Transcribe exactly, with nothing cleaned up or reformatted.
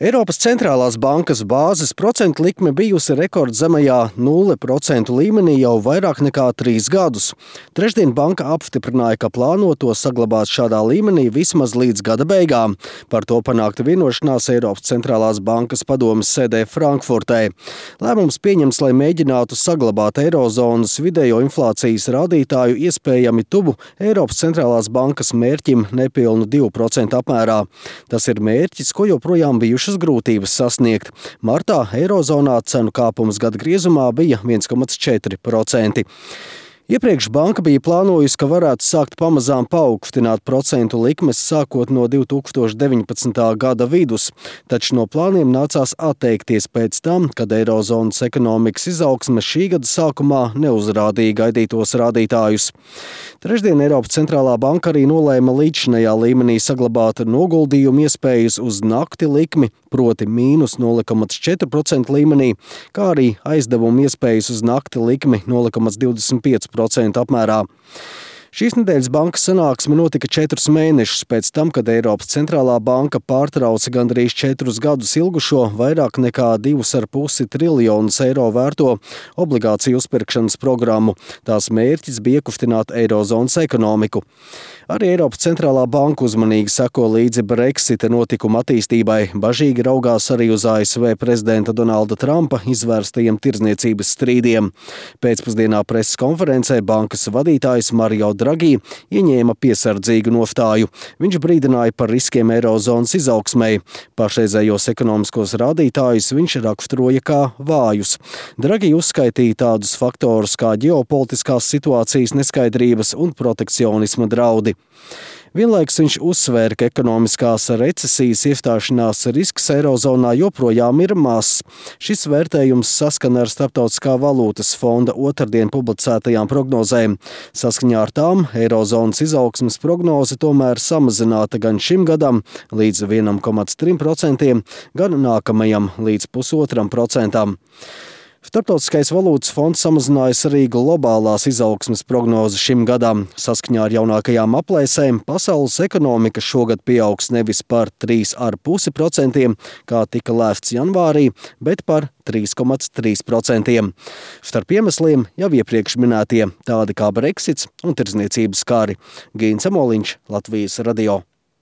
Eiropas centrālās bankas bāzes procentu likme bijusi rekordzemajā nulle procentu līmenī jau vairāk nekā trīs gadus. Trešdien banka apstiprināja, ka plāno to saglabāt šādā līmenī vismaz līdz gada beigām. Par to panākta vienošanās Eiropas centrālās bankas padomes sēdē Frankfurtē. Lēmums pieņems, lai mēģinātu saglabāt eirozonas vidējo inflācijas rādītāju iespējami tuvu Eiropas centrālās bankas mērķim nepilnu divu procentu apmērā. Tas ir mērķis, ko joprojām bijuši grūtības sasniegt. Martā eirozonā cenu kāpums gada griezumā bija viens komats četri procenti. Iepriekš banka bija plānojusi, ka varētu sākt pamazām paaugstināt procentu likmes sākot no divi tūkstoši deviņpadsmitā gada vidus, taču no plāniem nācās atteikties pēc tam, kad eirozonas ekonomikas izaugsme šī gada sākumā neuzrādīja gaidītos rādītājus. Trešdien Eiropas centrālā banka arī nolēma līdzšinējā līmenī saglabāt noguldījumu iespējas uz nakti likmi, proti mīnus nulle komats četri procenti līmenī, kā arī aizdevumu iespējas uz nakti likmi nulle komats divdesmit pieci procenti apmērā. Šīs nedēļas bankas sanāksme notika četrus mēnešus pēc tam, kad Eiropas centrālā banka pārtrauca gandrīz četrus gadus ilgušo vairāk nekā divus ar pusi triljonus eiro vērto obligāciju uzpirkšanas programmu. Tās mērķis bija iekustināt eirozonas ekonomiku. Arī Eiropas centrālā banka uzmanīgi seko līdzi Brexita notikuma attīstībai, bažīgi raugās arī uz A S V prezidenta Donalda Trumpa izvērstajiem tirdzniecības strīdiem. Pēcpusdienā preses konferencē bankas vadītājs Mario Draghi ieņēma piesardzīgu nostāju. Viņš brīdināja par riskiem eirozonas izaugsmei. Pašreizējos ekonomiskos rādītājus viņš raksturoja kā vājus. Draghi uzskaitīja tādus faktorus kā ģeopolitiskās situācijas neskaidrības un protekcionisma draudi. Vienlaikus viņš uzsvēra, ka ekonomiskās recesijas iestāšanās risks eirozonā joprojām ir mazs. Šis vērtējums saskana ar Starptautiskā valūtas fonda otrdien publicētajām prognozēm. Saskaņā ar tām eirozonas izaugsmes prognoze tomēr samazināta gan šim gadam līdz viens komats tri procenti, gan nākamajam līdz pusotram procentam. Starptautiskais valūtas fonds samazinājis arī globālās izaugsmes prognozes šim gadam. Saskaņā ar jaunākajām aplēsēm pasaules ekonomika šogad pieaugs nevis par trīs komats pieci procenti, kā tika lēsts janvārī, bet par trīs komats trīs procenti. Starp iemesliem jau iepriekš minētie, tādi kā Brexits un tirdzniecības kari. Gīns Amoliņš, Latvijas radio.